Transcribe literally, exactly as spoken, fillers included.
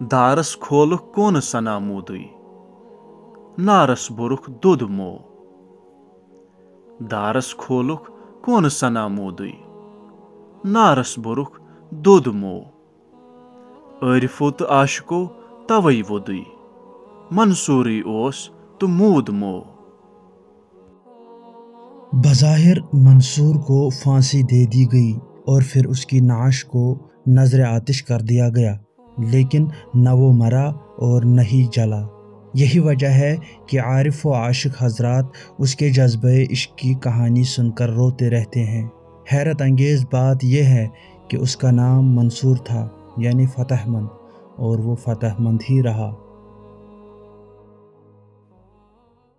دارس کھولُکھ کونہٕ سنا موٗدُے، نارس بوٚرُکھ دۄد مو۔ دارس کھولُکھ کونہٕ سنا موٗدُے، نارس بوٚرُکھ دۄد مو۔ عارفو تہٕ عاشقو توے ووٚدُے، منصورٕے اوس تہٕ موٗد مو۔ بظاہر منصور کو پھانسی دے دی گئی اور پھر اس کی نعش کو نذر آتش کر دیا گیا، لیکن نہ وہ مرا اور نہ ہی جلا۔ یہی وجہ ہے کہ عارف و عاشق حضرات اس کے جذبۂ عشق کی کہانی سن کر روتے رہتے ہیں۔ حیرت انگیز بات یہ ہے کہ اس کا نام منصور تھا، یعنی فتح مند، اور وہ فتح مند ہی رہا۔